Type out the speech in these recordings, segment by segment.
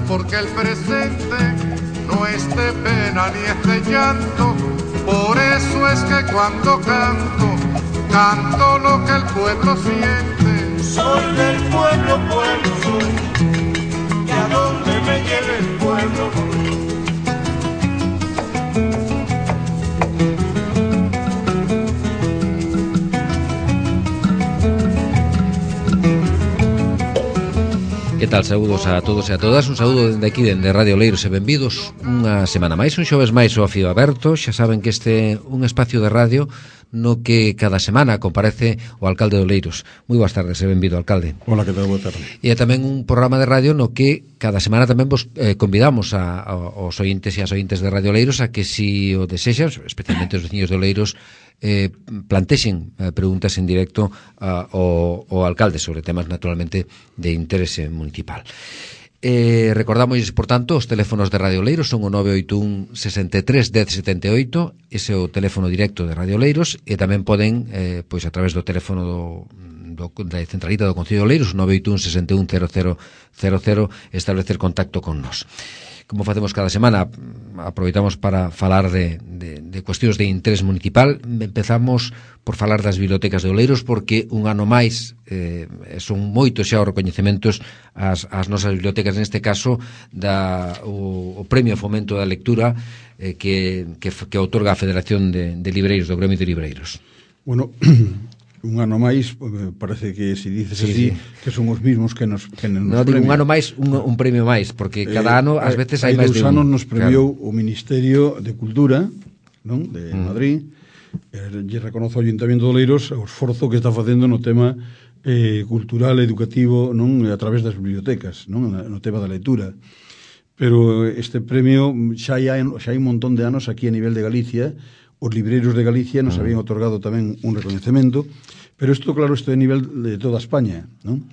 porque el presente no es de pena ni es de llanto. Por eso es que cuando canto, canto lo que el pueblo siente. Soy del pueblo, pueblo soy, y a donde me lleve el pueblo voy. Que tal? Saúdos a todos e a todas. Un saúdo dende aquí, dende Radio Oleiros, e benvidos unha semana máis, un xoves máis ao Fío Aberto. Xa saben que este é un espacio de radio no que cada semana comparece o alcalde de Oleiros. Moi boas tardes e benvido, alcalde. Hola, que tal? Boa tarde. E é tamén un programa de radio no que cada semana tamén vos convidamos aos ointes e as ointes de Radio Oleiros a que, si o desexan, especialmente os veciños de Oleiros, plantexen preguntas en directo ao alcalde sobre temas naturalmente de interese municipal. Recordamos, por tanto, os teléfonos de Radio Oleiros son o 981 63 10 78, ese é o teléfono directo de Radio Oleiros, e tamén poden, pois a través do teléfono da centralita do Concello de Oleiros, 981 61 0000, establecer contacto con nós. Como facemos cada semana, aproveitamos para falar de cuestións de interés municipal. Empezamos por falar das bibliotecas de Oleiros, porque un ano máis son moitos xa os recoñecementos ás nosas bibliotecas, neste caso o Premio Fomento da Lectura que outorga a Federación de Libreiros, do Gremio de Libreiros. Bueno, un ano máis, parece que se dices así, que son os mismos que nos non digo un ano máis, un premio máis, porque cada ano ás veces hai máis de un. Hai 2 anos nos premiou o Ministerio de Cultura, non, de Madrid, lle reconozo ao Ayuntamiento de Oleiros o esforzo que está facendo no tema cultural, educativo, non, a través das bibliotecas, non, no tema da lectura. Pero este premio xa hai un montón de anos aquí a nivel de Galicia. Os libreiros de Galicia nos habían otorgado tamén un recoñecemento, pero isto, claro, isto é a nivel de toda España, non?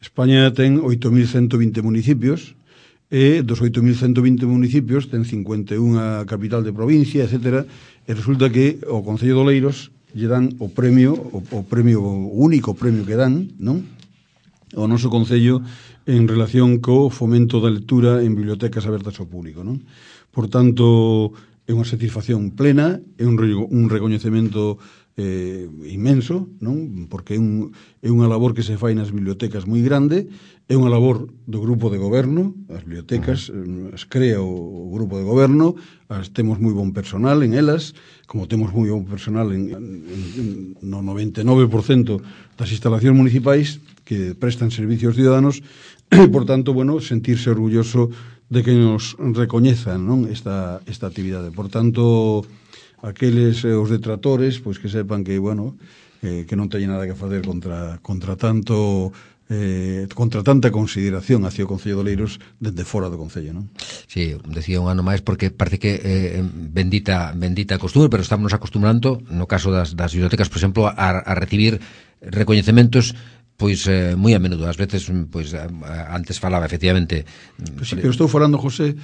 España ten 8.120 municipios, e dos 8.120 municipios ten 51 capital de provincia, etcétera, e resulta que o Concello de Oleiros lle dan o premio, o único premio que dan, non? O noso Concello en relación co fomento da lectura en bibliotecas abertas ao público, non? Por tanto, é unha satisfacción plena, é un recoñecemento inmenso, non? Porque é unha labor que se fai nas bibliotecas moi grande, é unha labor do grupo de goberno, as bibliotecas as crea o grupo de goberno, temos moi bon personal en elas, como temos moi bon personal no 99% das instalacións municipais que prestan servicios ciudadanos, e, por tanto, bueno, sentirse orgulloso de que nos recoñezan, non, esta actividade. Por tanto, aqueles os detractores, pois que sepan que, bueno, que non teñen nada que facer contra tanta consideración hacia o Concello de Oleiros dende fora do Concello, non? Sí, decía un ano máis porque parece que bendita costumbre, pero estamos acostumbrando, no caso das bibliotecas, por exemplo, a recibir recoñecementos pois moi a menudo, ás veces pois antes falaba efectivamente. Pues sí, pero estou falando, José,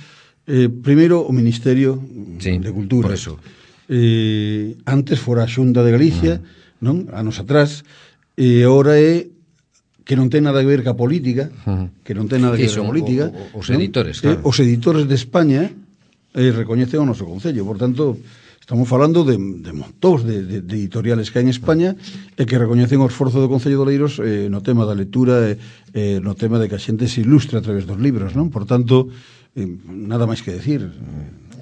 primeiro o Ministerio de Cultura. Por eso. Antes fora a Xunta de Galicia, non? Anos atrás, e agora é que non ten nada que ver ca política, que non ten nada que ver ca política. Os editores, claro. Os editores de España recoñecen o noso Concello, por tanto, estamos falando de montóns de editoriales que hai en España e que recoñecen o esforzo do Concello de Oleiros no tema da lectura e no tema de que a xente se ilustre a través dos libros, non? Por tanto, nada máis que decir.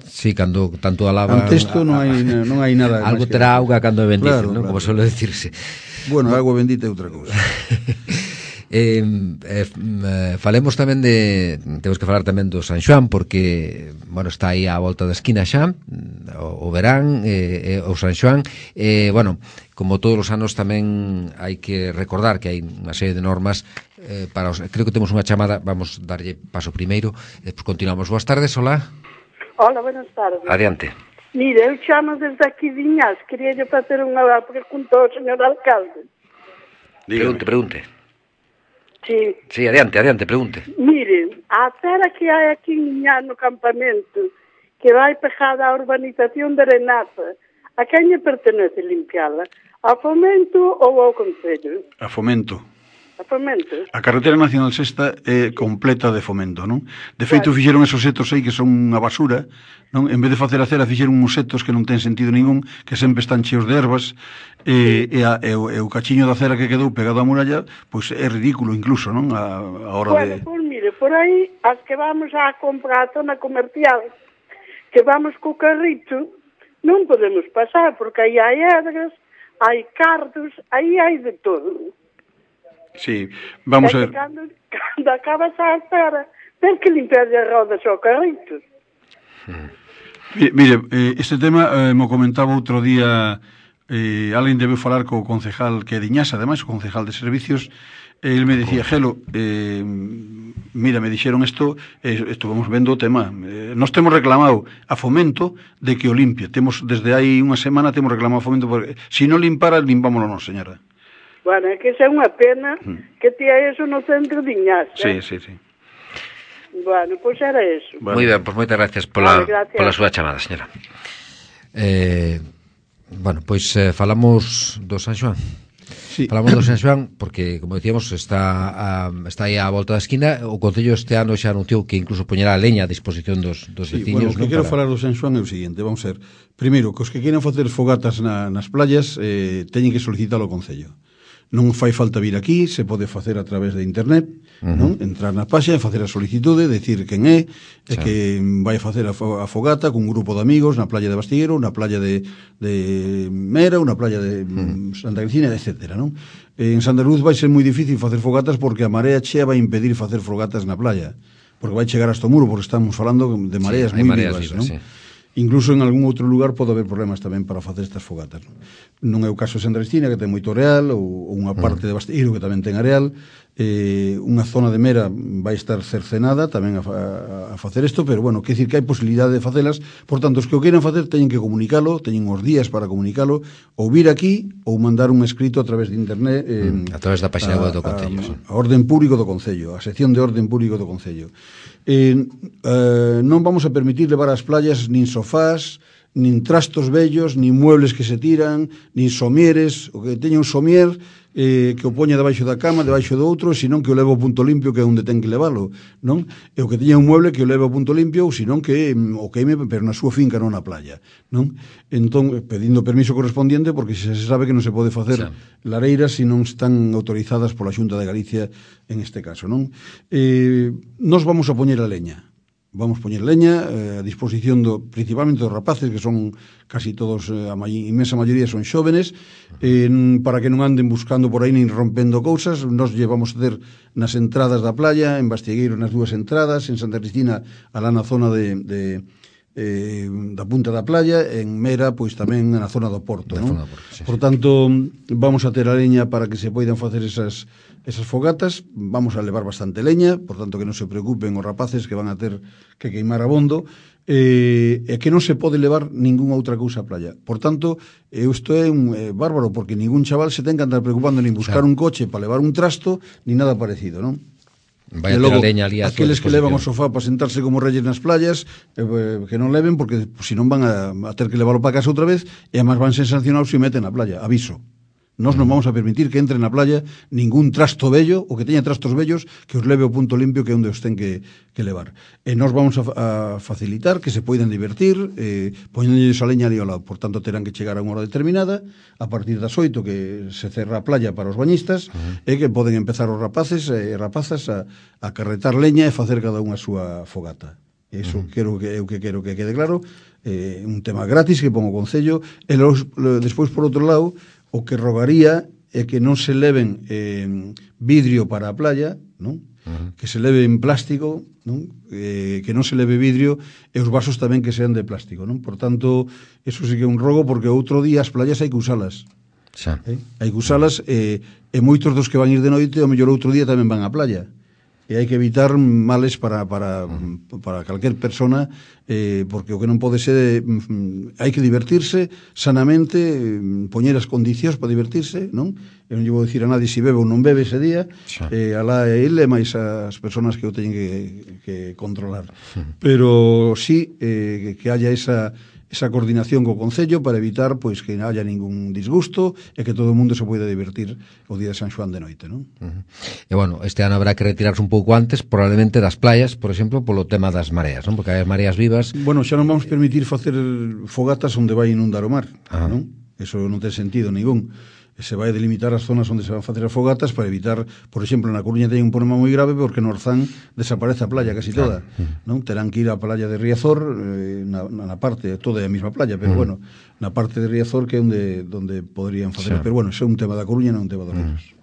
Sí, cando tanto alaba... Ante isto non hai nada algo terá auga cando bendice, non? Como suele decirse. Bueno, agua bendita é outra cousa. Falemos tamén temos que falar tamén do San Xoán, porque, bueno, está aí á volta da esquina xa o verán, o San Xoán, bueno, como todos os anos tamén hai que recordar que hai unha serie de normas creo que temos unha chamada, vamos darlle paso primeiro, despois continuamos. Boas tardes, hola. Hola, buenas tardes. Adiante. Mire, eu chamo desde aquí de Iñás, quería facer unha pregunta ao señor alcalde. Pregunte. Sí, adiante, pregunte. Mire, a acera que hai aquí en Iñás no campamento, que vai pegada á urbanización de Renaza, a quen lle pertenece limpiala? A Fomento ou ao Concello? A Fomento. a Fomento. A carretera nacional sexta é completa de Fomento, non? De feito, fixeron esos setos aí que son unha basura, non? En vez de facer a acera, fixeron uns setos que non ten sentido ningún, que sempre están cheos de ervas, e o cachiño da acera que quedou pegado á muralla, pois é ridículo incluso, non? A hora Bueno, de... pois mire, por aí, as que vamos a comprar a zona comercial, que vamos co carrito, non podemos pasar, porque aí hai edras, hai cardos, aí hai de todo. Sí, vamos a ver. Cando acabas a acera, ten que limpiar as rodas ao carrito. Mire, este tema mo comentaba outro día, alguén debe falar co concejal que é Diñasa, ademais, o concejal de servicios. El me decía, Gelo, mira, me dixeron isto, estuvamos vendo o tema. Nos temos reclamado a Fomento de que o limpie. Temos, desde hai unha semana, temos reclamado a Fomento, porque se non limpara, limpámoslo non, señora. Bueno, é que xa é unha pena que tía eso no centro de Iñasa. Sí, sí, sí. Bueno, pois era eso. Bueno. Moi ben, pois moitas gracias pola súa chamada, señora. Bueno, pois falamos do San Xoán. Sí. Falamos do San Xoán porque, como decíamos, está aí á volta da esquina. O Concello este ano xa anunciou que incluso poñerá a leña a disposición dos veciños. Bueno, o que quero falar do San Xoán é o seguinte, vamos a ver. Primeiro, que os que queiran facer fogatas nas playas teñen que solicitalo ao Concello. Non fai falta vir aquí, se pode facer a través de internet, non? Entrar na páxina, facer a solicitude, decir quen é, e que vai facer a fogata cun grupo de amigos na playa de Bastiguero, na playa de Mera, na playa de Santa Cristina, etc. Non? En Santa Luz vai ser moi difícil facer fogatas porque a marea chea vai impedir facer fogatas na playa, porque vai chegar hasta o muro, porque estamos falando de mareas moi vivas, non? Sí. Incluso en algún outro lugar pode haber problemas tamén para facer estas fogatas. Non é o caso de Santa Cristina, que ten moito areal, ou unha parte de Basteiro, que tamén ten areal. Unha zona de Mera vai estar cercenada tamén a facer isto, pero, bueno, quer dicir que hai posibilidade de facelas. Por tanto, os que o queiran facer teñen que comunicalo, teñen os días para comunicalo, ou vir aquí, ou mandar un escrito a través de internet. A través da página web do Concello. A Orden Público do Concello, a sección de Orden Público do Concello. Non vamos a permitir levar ás playas nin sofás, nin trastos vellos, nin muebles que se tiran, nin somieres. O que teña un somier que o poña debaixo da cama, debaixo do outro, senón que o leve ao punto limpio, que é onde ten que levalo, non? E o que teña un mueble que o leve ao punto limpio, ou senón que o queime, pero na súa finca, non na playa, non? Entón, pedindo permiso correspondiente, porque se sabe que non se pode facer lareiras se non están autorizadas pola Xunta de Galicia en este caso, non? Nos vamos a poñer a leña. Vamos poñer leña a disposición principalmente dos rapaces, que son casi todos, a inmensa maioría son xóvenes, para que non anden buscando por aí nin rompendo cousas. Nos llevamos a ter nas entradas da playa, en Bastigueiro nas dúas entradas, en Santa Cristina alá na zona da punta da playa, en Mera pois tamén na zona do Porto, non? Por tanto, vamos a ter a leña para que se poidan facer esas fogatas. Vamos a levar bastante leña, por tanto que non se preocupen os rapaces que van a ter que queimar abondo, e que non se pode levar ningunha outra cousa á playa. Por tanto, isto é un bárbaro, porque ningún chaval se ten que andar preocupando nin buscar un coche para levar un trasto, ni nada parecido, non? Vai a ter a leña ali a aqueles que levan o sofá para sentarse como reyes nas playas, que non leven, porque se non van a ter que leválo para casa outra vez, e además van ser sancionados se meten na playa. Aviso. Nós non vamos a permitir que entre na playa ningún trasto vello, ou que teña trastos vellos, que os leve ao punto limpio, que é onde os ten que levar. E nós vamos a facilitar que se poidan divertir, poñenlles a leña ali ao lado. Por tanto, terán que chegar a unha hora determinada, a partir das 8 que se cerra a playa para os bañistas, e que poden empezar os rapaces e rapazas a carretar leña e facer cada unha a súa fogata. Iso quero que quede claro. Un tema gratis que pon o Concello. E despois, por outro lado, o que rogaría é que non se leven vidrio para a playa, non? Que se leve en plástico, non? Que non se leve vidrio, e os vasos tamén que sean de plástico, non? Por tanto, eso sí que é un rogo, porque outro día as playas hai que usalas. Hai que usalas, e moitos dos que van ir de noite, ao mellor outro día tamén van á playa. E hai que evitar males para calquer persona, porque o que non pode ser, hai que divertirse sanamente, poñer as condicións para divertirse, non? Eu non lle vou dicir a nadie se bebe ou non bebe ese día, alá é ele, máis as persoas que o teñen que controlar. Pero sí, que haya esa esa coordinación co Concello para evitar pois que non haya ningún disgusto e que todo o mundo se poida divertir o día de San Xoán de noite, non? E bueno, este ano habrá que retirarse un pouco antes, probablemente das playas, por exemplo, polo tema das mareas, non? Porque hai mareas vivas. Bueno, xa non vamos permitir facer fogatas onde vai inundar o mar, non? Eso non ten sentido ningún. Se vai delimitar as zonas onde se van facer as fogatas para evitar, por exemplo, na Coruña ten un problema moi grave porque no Orzán desaparece a playa casi toda, non? Terán que ir á playa de Riazor, na parte, toda é a mesma playa, pero bueno, na parte de Riazor que é onde poderían facer, pero bueno, iso é un tema da Coruña, non un tema dos Ríos.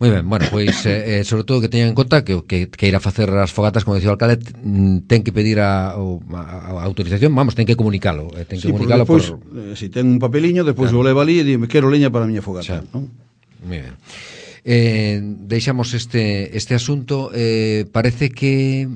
Moi ben, bueno, pois sobre todo que teñan en conta que ir a facer as fogatas, como dicía o alcalde, ten que pedir a autorización, vamos, ten que comunicalo, comunicalo despois, se ten un papeliño, despois o leva ali e di, quero leña para a miña fogata, non? Moi ben. Deixamos este asunto, parece que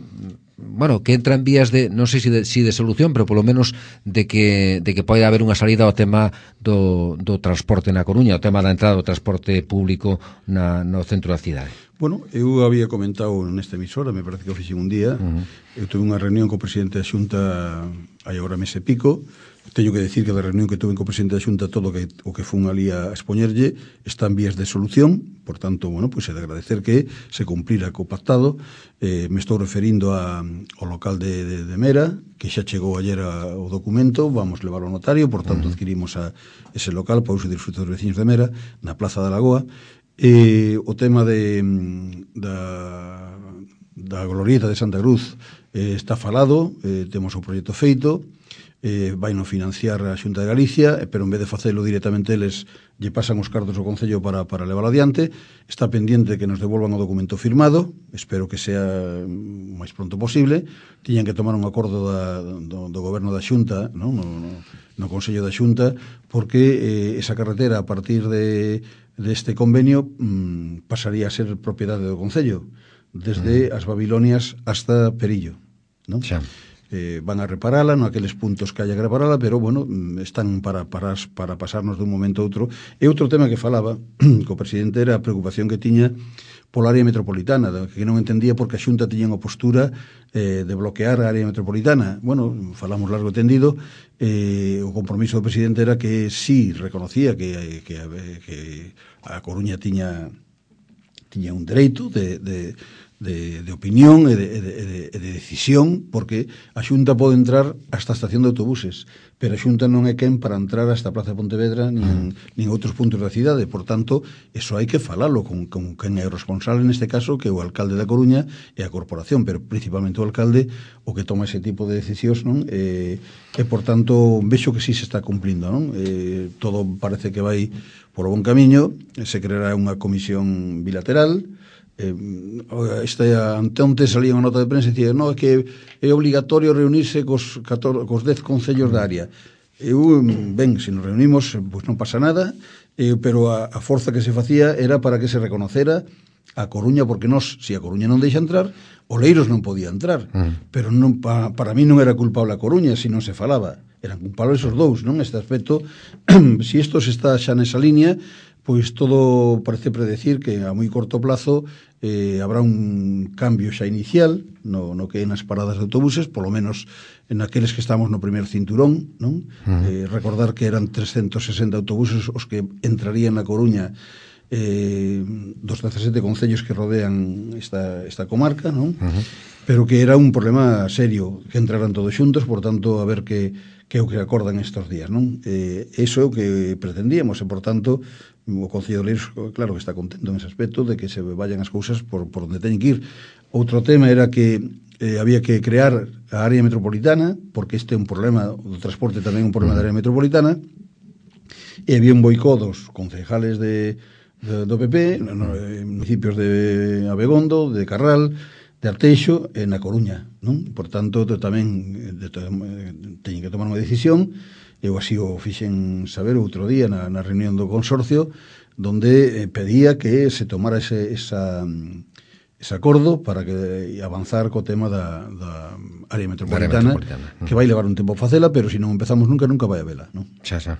bueno, que entra en vías de, non sei se de solución, pero polo menos de que pode haber unha salida ao tema do transporte na Coruña, o tema da entrada do transporte público no centro da cidade. Bueno, eu había comentado nesta emisora, me parece que o fixen un día, eu tuve unha reunión co presidente da Xunta hai agora mes e pico. Teño que decir que da reunión que tuve co presidente da Xunta todo o que fun ali a expoñerlle está en vías de solución, por tanto, bueno, pois é de agradecer que se cumplira co pactado. Me estou referindo ao local de Mera, que xa chegou ayer o documento, vamos levar ao notario, por tanto adquirimos ese local para uso de disfrute dos veciños de Mera, na Plaza da Lagoa. O tema da glorieta de Santa Cruz está falado, temos o proxecto feito, vai no financiar a Xunta de Galicia, pero en vez de facelo directamente eles lle pasan os cartos ao Concello para levar adiante. Está pendiente que nos devolvan o documento firmado, espero que sea o máis pronto posible. Tiñan que tomar un acordo do goberno da Xunta, no Consello da Xunta, porque esa carretera a partir deste convenio pasaría a ser propiedade do Concello, desde as Babilonias hasta Perillo, non? Xa. Van a reparala, no aqueles puntos que haya que reparala, pero, bueno, están para pasarnos dun momento a outro. E outro tema que falaba co presidente era a preocupación que tiña pola área metropolitana, que non entendía porque a Xunta tiña unha postura de bloquear a área metropolitana. Bueno, falamos largo e tendido, o compromiso do presidente era que sí reconocía que a Coruña tiña un dereito de opinión e de decisión, porque a Xunta pode entrar hasta a estación de autobuses, pero a Xunta non é quen para entrar hasta a Plaza de Pontevedra nin outros puntos da cidade. Por tanto, eso hai que falalo con quen é o responsable neste caso, que é o alcalde da Coruña e a corporación, pero principalmente o alcalde o que toma ese tipo de decisións, non? E por tanto, vexo que sí se está cumplindo, non? Todo parece que vai por o bon camiño, se creará unha comisión bilateral. Anteonte salía unha nota de prensa e dicía, no, é que é obligatorio reunirse cos 10 concellos da área. Ben, se nos reunimos, pois non pasa nada, pero a forza que se facía era para que se reconocera a Coruña, porque se a Coruña non deixa entrar, Oleiros non podía entrar, pero non, para mí non era culpable a Coruña se non se falaba, eran culpables os dous, non? Este aspecto, se isto se está xa nesa línea, pois todo parece predecir que a moi corto plazo habrá un cambio xa inicial no que é nas paradas de autobuses, polo menos en aqueles que estamos no primer cinturón, non? Recordar que eran 360 autobuses os que entrarían na Coruña dos 17 concellos que rodean esta comarca, non? Pero que era un problema serio que entraran todos xuntos, por tanto, a ver que é o que acordan estes días, non? Eso é o que pretendíamos e, por tanto, o Concello de Oleiros, claro que está contento en ese aspecto de que se vayan as cousas por onde teñen que ir. Outro tema era que había que crear a área metropolitana, porque este é un problema, o transporte tamén é un problema da área metropolitana, e había un boicot dos concejales do PP, municipios de Abegondo, de Carral, de Arteixo e na Coruña, non? Por tanto, tamén teñen que tomar unha decisión. Eu así o fixen saber outro día na reunión do consorcio, donde pedía que se tomara ese acordo para que avanzar co tema da área metropolitana, que vai levar un tempo facela, pero se non empezamos nunca vai a vela, non? Xa.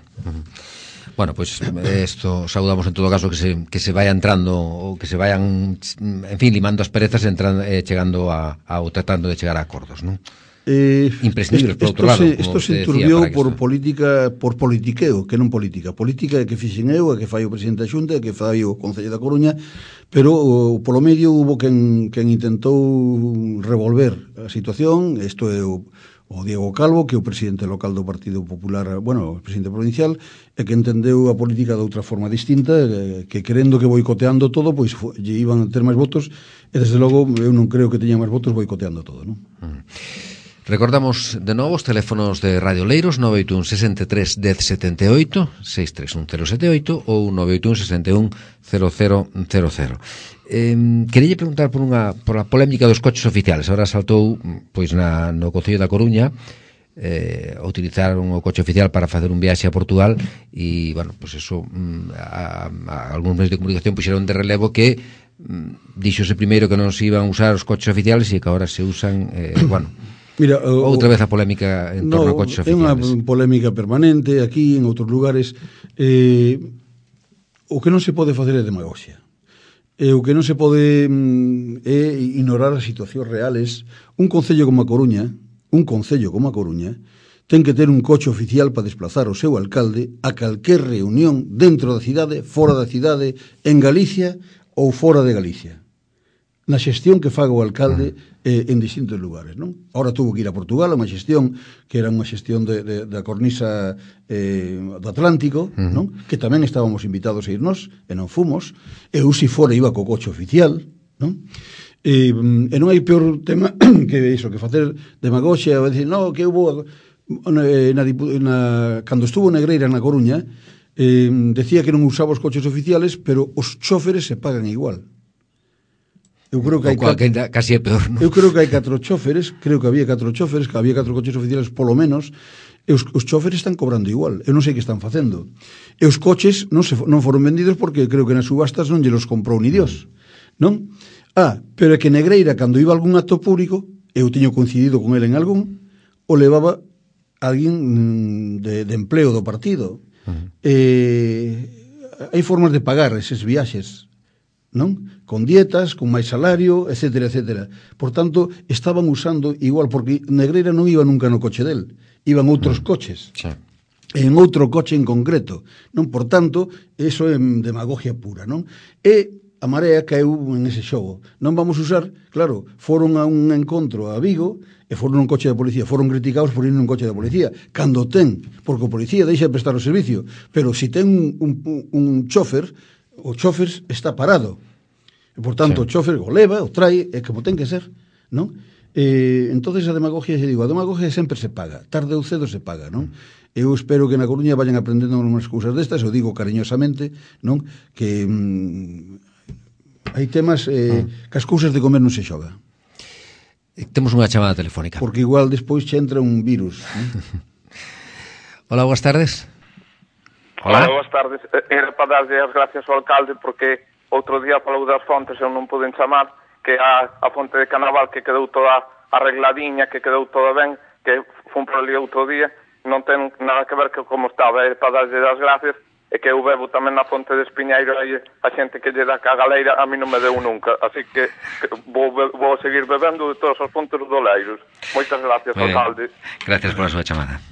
Bueno, pois isto saudamos en todo caso que se vaya entrando ou que se vayan, en fin, limando as perezas, chegando ou tratando de chegar a acordos, non? imprescindibles, por outro lado. Isto se enturbiou por política, por politiqueo, que non política. Política é que fixen eu, é que fai o presidente da Xunta, é que fai o Concello da Coruña, pero polo medio hubo quen intentou revolver a situación. Isto é o Diego Calvo, que é o presidente local do Partido Popular, bueno, o presidente provincial, e que entendeu a política de outra forma distinta, que querendo que boicoteando todo, pois lle iban a ter máis votos, e desde logo eu non creo que teña máis votos boicoteando todo, non? Recordamos de novo os teléfonos de Radio Oleiros, 981 63 1078, 631 078 ou 981 61 0000. Quería preguntar por a polémica dos coches oficiales. Ahora saltou pois no Concello da Coruña, utilizaron o coche oficial para facer un viaxe a Portugal e, bueno, pois eso, algúns medios de comunicación puxeron de relevo que díxose primeiro que non se iban a usar os coches oficiales e que agora se usan, bueno, mira, outra vez a polémica en torno a coches oficiales. É unha polémica permanente aquí, en outros lugares. O que non se pode facer é demagoxia. O que non se pode é ignorar as situacións reales. Un concello como a Coruña, ten que ter un coche oficial para desplazar o seu alcalde a calquer reunión dentro da cidade, fora da cidade, en Galicia ou fora de Galicia, na xestión que faga o alcalde en distintos lugares, non? Ahora tuvo que ir a Portugal a unha xestión que era unha xestión da cornisa do Atlántico, non? Que tamén estábamos invitados a irnos e non fomos. Eu si fora iba co coche oficial, non? E non hai peor tema que iso, que facer demagoxia e dicir, no, que hubo cando estuvo Negreira na Coruña, decía que non usaba os coches oficiales, pero os chóferes se pagan igual. Eu creo que casi é peor, non? Eu creo que hai 4 chóferes, que había 4 coches oficiales polo menos, e os chóferes están cobrando igual. Eu non sei que están facendo. E os coches non foron vendidos porque creo que nas subastas non lle los comprou ni Dios, non? Pero é que Negreira, cando iba a algún acto público, eu teño coincidido con ele en algún, o levaba alguén de empleo do partido. Hai formas de pagar eses viaxes, non? Con dietas, con máis salario, etcétera, etcétera. Por tanto, estaban usando igual, porque Negreira non iba nunca no coche del, iban outros coches, en outro coche en concreto, non? Por tanto, eso é demagogia pura, non? E a Marea caeu en ese xogo. Non vamos usar, claro, foron a un encontro a Vigo e foron nun coche da policía, foron criticados por ir nun coche da policía, cando ten, porque o policía deixa de prestar o servicio, pero si ten un chofer, o chofer está parado. E, por tanto, o chofer o leva, o trae, é como ten que ser, non? Entonces a demagogia, xe digo, a demagogia sempre se paga, tarde ou cedo se paga, non? Eu espero que na Coruña vayan aprendendo unhas cousas destas, eu digo cariñosamente, non? Que hai temas que as cousas de comer non se xoga. Temos unha chamada telefónica. Porque igual despois che entra un virus. Hola, boas tardes. Hola, boas tardes. Era para darlle as gracias ao alcalde porque outro día falou das fontes, eu non poden chamar, que a fonte de Canaval que quedou toda arregladiña, que quedou toda ben, que fun por ali outro día, non ten nada que ver que como estaba, é para darlle as gracias, e que eu bebo tamén na fonte de Espiñeiro, aí a xente que lle dá ca galeira a mí non me deu nunca, así que vou seguir bebendo de todas as fontes do Oleiros. Moitas gracias, alcalde. Gracias pola súa chamada.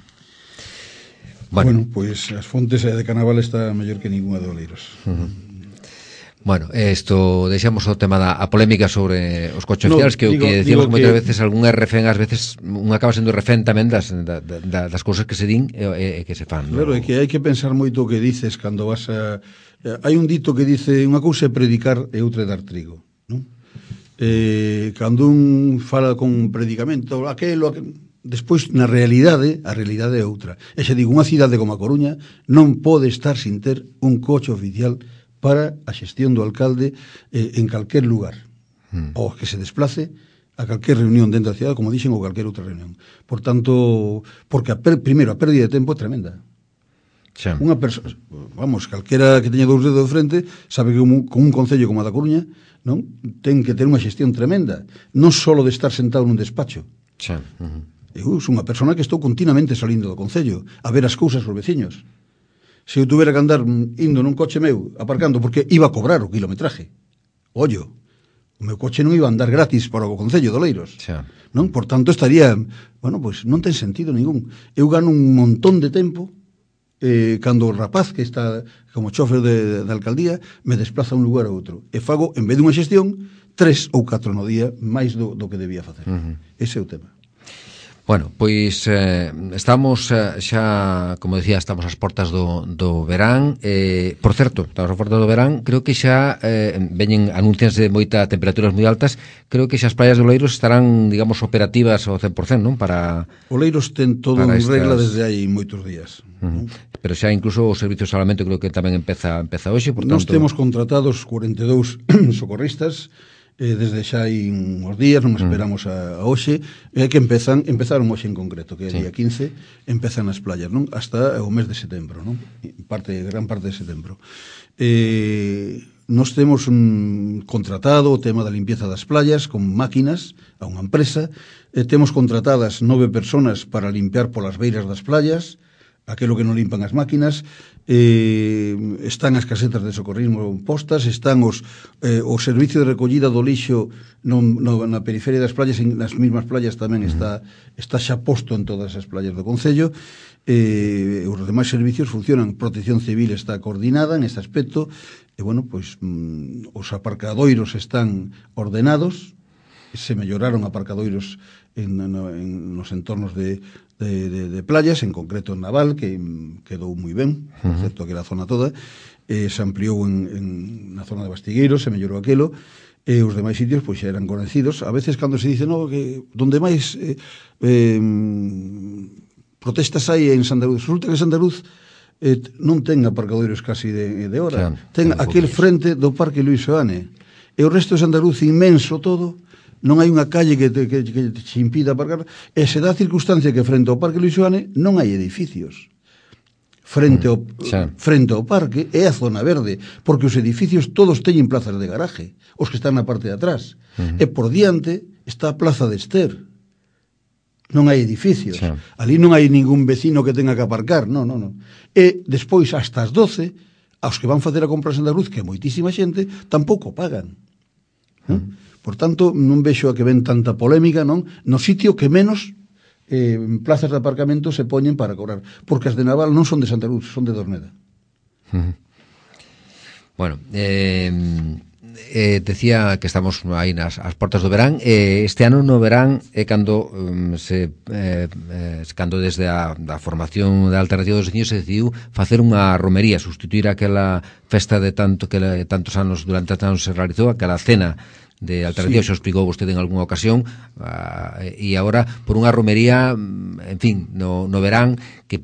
Bueno, pois as fontes de Canaval está mellor que ninguna de Oleiros. Bueno, isto deixamos o tema da polémica sobre os coches oficiales, que decíamos moitas veces algún RFN, ás veces un acaba sendo RFN tamén das cousas que se din e que se fan. Claro, é que hai que pensar moito o que dices cando vas a... Hai un dito que dice unha cousa é predicar e outra é dar trigo, non? Cando un fala con predicamento, aquelo... Despois, na realidade, a realidade é outra. E xa digo, unha cidade como a Coruña non pode estar sin ter un coche oficial para a xestión do alcalde en calquer lugar, ou que se desplace a calquer reunión dentro da cidade, como dixen, ou calquer outra reunión. Por tanto, porque primeiro, a pérdida de tempo é tremenda. Unha persoa, vamos, calquera que teña dous dedos de frente, sabe que con un concello como a da Coruña, non, ten que ter unha xestión tremenda, non só de estar sentado nun despacho. Eu sou unha persona que estou continuamente salindo do concello a ver as cousas dos veciños. Se eu tuvera que andar indo nun coche meu, aparcando, porque iba a cobrar o kilometraje. Ollo, o meu coche non iba a andar gratis para o Concello de Oleiros. Xa. Non? Por tanto, estaría, bueno, pois non ten sentido ningún. Eu gano un montón de tempo cando o rapaz que está como chofer de alcaldía me desplaza un lugar a outro. E fago, en vez de unha xestión, 3 ou 4 no día máis do que debía facer. Ese é o tema. Bueno, pois estamos xa, como decía, estamos ás portas do verán. Por certo, estamos ás portas do verán, creo que xa veñen anuncios de moita temperaturas moi altas. Creo que xa as praias de Oleiros estarán, digamos, operativas ao 100%, non? Para Oleiros ten todo en regla desde hai moitos días. Pero xa incluso o servicio de salvamento creo que tamén empeza hoxe, por tanto... Nos temos contratados 42 socorristas desde xa hai uns días, non esperamos a hoxe, que empezaron hoxe en concreto, que é día 15, empezan as playas, non? Hasta o mes de setembro, non? Gran parte de setembro. Nos temos contratado o tema da limpieza das playas con máquinas a unha empresa, temos contratadas 9 personas para limpiar polas beiras das playas, aquilo que non limpan as máquinas, están as casetas de socorrismo postas, están o servicio de recollida do lixo na periferia das playas, nas mesmas playas tamén está xa posto en todas as playas do Concello. Os demais servicios funcionan, Protección Civil está coordinada en este aspecto, e bueno, pois os aparcadoiros están ordenados, se melloraron aparcadoiros nos entornos de playas, en concreto en Naval, que quedou moi ben, por certo, aquela zona toda, se ampliou na zona de Bastigueiros, se mellorou aquilo, e os demais sitios pois xa eran conocidos. A veces cando se dice, no, que donde máis protestas hai en Sandaruz, resulta que Sandaruz non ten aparcadoiros casi de hora, ten aquel frente do Parque Luís Seoane, e o resto de Sandaruz inmenso todo, non hai unha calle que te impida aparcar, e se dá a circunstancia que frente ao Parque Luís Seoane non hai edificios. Frente ao parque é a zona verde, porque os edificios todos teñen plazas de garaje, os que están na parte de atrás. E por diante está a Plaza de Ester. Non hai edificios. Ali non hai ningún vecino que tenga que aparcar, non. E despois, hasta as 12, aos que van facer a compra a Sandaruz, que é moitísima xente, tampouco pagan. Por tanto, non vexo a que ven tanta polémica, non? No sitio que menos plazas de aparcamento se poñen para cobrar, porque as de Naval non son de Santaruz, son de Dorneda. Bueno, decía que estamos aí ás portas do verán. Este ano no verán é cando cando desde a formación da Alternativa dos Veciños se decidiu facer unha romería, sustituir aquela festa de tantos anos, durante tantos anos se realizou, aquela cena de Alternativa, xa explicou vostede en algunha ocasión, e agora por unha romería, en fin, no verán, que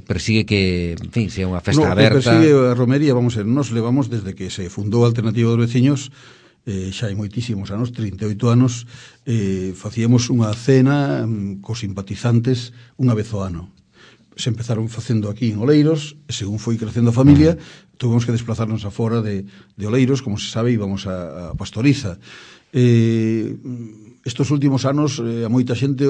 persigue que, en fin, sea unha festa aberta. Persigue a romería, vamos a ver, nos levamos desde que se fundou a Alternativa dos Veciños, xa hai moitísimos anos, 38 anos, facíamos unha cena cos simpatizantes unha vez ao ano. Se empezaron facendo aquí en Oleiros, e según foi crecendo a familia, tuvemos que desplazarnos afora de Oleiros, como se sabe, íbamos a Pastoriza. Estos últimos anos, a moita xente,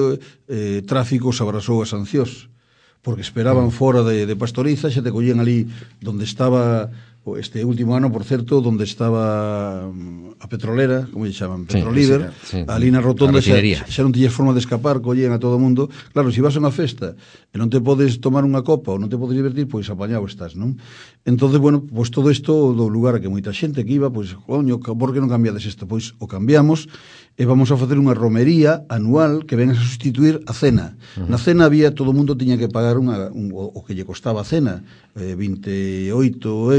tráfico se abrazou a Sanciós, porque esperaban fora de Pastoriza, xa te collían ali donde estaba este último ano, por certo, donde estaba a petrolera, como lle chaman, Petrolíder, ali na rotonda xa non tiñes forma de escapar, collían a todo o mundo. Claro, se vas a unha festa e non te podes tomar unha copa ou non te podes divertir, pois apañado estás, non? Entonces, bueno, pois todo isto do lugar a que moita xente que iba, pois, coño, por que non cambiades isto? Pois o cambiamos e vamos a facer unha romería anual que venga a sustituir a cena. Na cena había, todo o mundo tiña que pagar o que lle costaba a cena, 28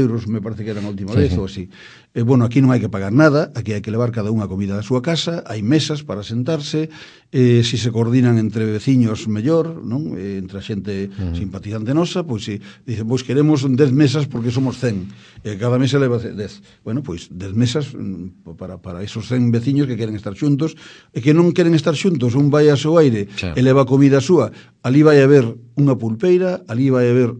euros, me parece que era a última vez, ou así. Bueno, aquí non hai que pagar nada, aquí hai que levar cada unha comida da súa casa, hai mesas para sentarse, se se coordinan entre veciños mellor, non? Entre a xente simpatizante nosa, pois si dicen, pois queremos 10 mesas porque somos 100, cada mesa leva 10. Bueno, pois 10 mesas para esos 100 veciños que queren estar xuntos, e que non queren estar xuntos, un vai a seu aire e leva comida súa, ali vai haber unha pulpeira, ali vai haber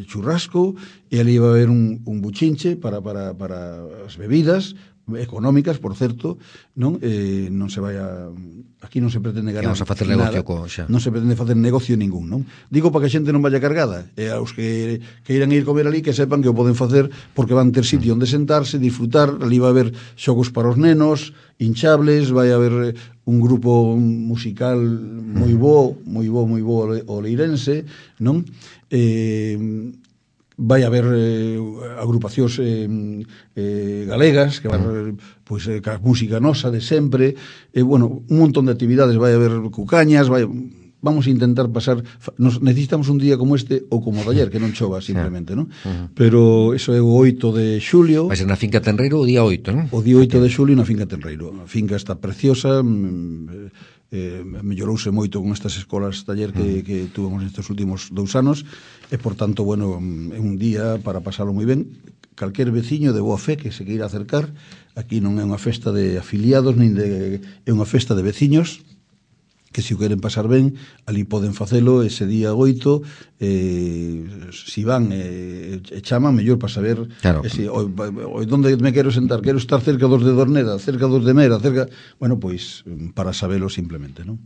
churrasco, e ali vai haber un buchinche para as bebidas, económicas, por certo, non se vai a... Aquí non se pretende ganar non se facer negocio xa. Non se pretende facer negocio ningún, non? Digo para que a xente non vaya cargada, e aos que irán ir comer ali que sepan que o poden facer porque van ter sitio onde sentarse, disfrutar, ali vai haber xogos para os nenos, hinchables, vai haber un grupo musical moi bo o leirense, non? Vai haber agrupacións galegas que van pois ca música nosa de sempre, bueno, un montón de actividades, vai haber cucañas, vamos a intentar pasar, necesitamos un día como este ou como o de ayer, que non chova simplemente, non? Pero eso é o 8 de xulio. Vai ser na Finca Tenreiro o día 8, non? O día 8 de xulio na Finca Tenreiro. A finca está preciosa, mellorouse moito con estas escolas taller que tuvemos nestes últimos 2 anos e, por tanto, bueno, é un día para pasalo moi ben. Calquer veciño de boa fe que se queira acercar, aquí non é unha festa de afiliados, é unha festa de veciños que se o queren pasar ben, ali poden facelo ese día 8, si van e chaman, mellor para saber onde me quero sentar, quero estar cerca dos de Dorneda, cerca dos de Mera, cerca... Bueno, pois, para sabelo simplemente, non?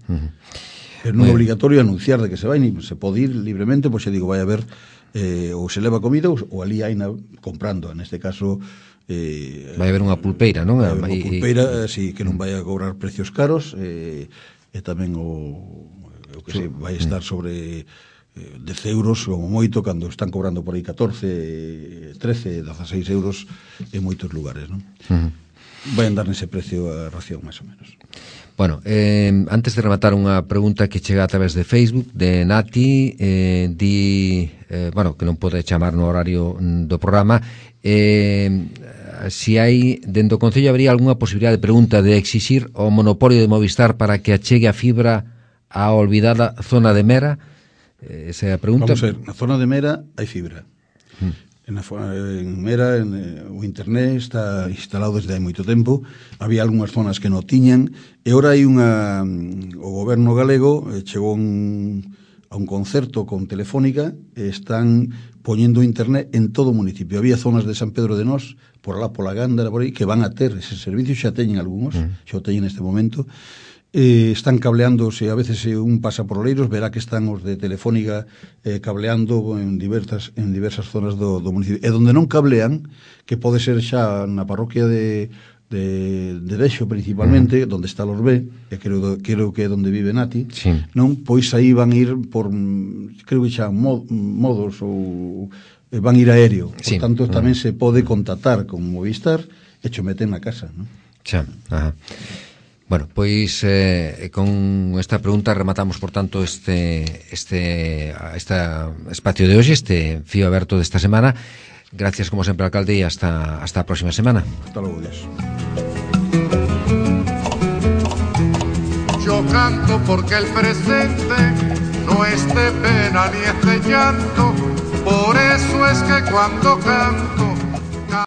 Pero non é obligatorio anunciar de que se vai, ni se pode ir libremente, pois, digo, vai haber ou se leva comida ou ali hai comprando, neste caso... vai haber unha pulpeira, non? Vai haber unha pulpeira, sí, que non vai a cobrar precios caros, e tamén o que se vai estar sobre 10 euros como moito, cando están cobrando por aí 14, 13, 16 euros en moitos lugares, non? Vai andar nese precio a ración, máis ou menos. Bueno, antes de rematar unha pregunta que chega a través de Facebook de Nati, bueno, que non pode chamar no horario do programa, si hai, dentro do Concello habería algunha posibilidade de pregunta de exixir o monopolio de Movistar para que achegue a fibra á olvidada zona de Mera. Esa é a pregunta. Vamos a ver, na zona de Mera hai fibra. En Mera o internet está instalado desde hai moito tempo. Había algunhas zonas que non tiñan e ora hai o goberno galego chegou a un concerto con Telefónica e están poñendo internet en todo o municipio. Había zonas de San Pedro de Nós, por alá pola Gándara, por aí, que van a ter ese servicio, xa teñen algúns, xa o teñen neste momento. Están cableándose, a veces un pasa por Oleiros, verá que están os de Telefónica cableando en diversas zonas do municipio. E donde non cablean, que pode ser xa na parroquia de Dexo principalmente, donde está los B, e creo que é donde vive Nati, sí. Non, pois aí van ir por, creo que xa modos ou van ir aéreo, por tanto tamén se pode contactar con Movistar e cho meten na casa, non? Xa, ajá. Bueno, pois con esta pregunta rematamos, por tanto, este espacio de hoxe, este fío aberto desta semana. Gracias, como sempre, alcalde, e hasta a próxima semana. Hasta logo, Dios. Yo canto porque el presente no es de pena ni es de llanto, por eso es que cuando canto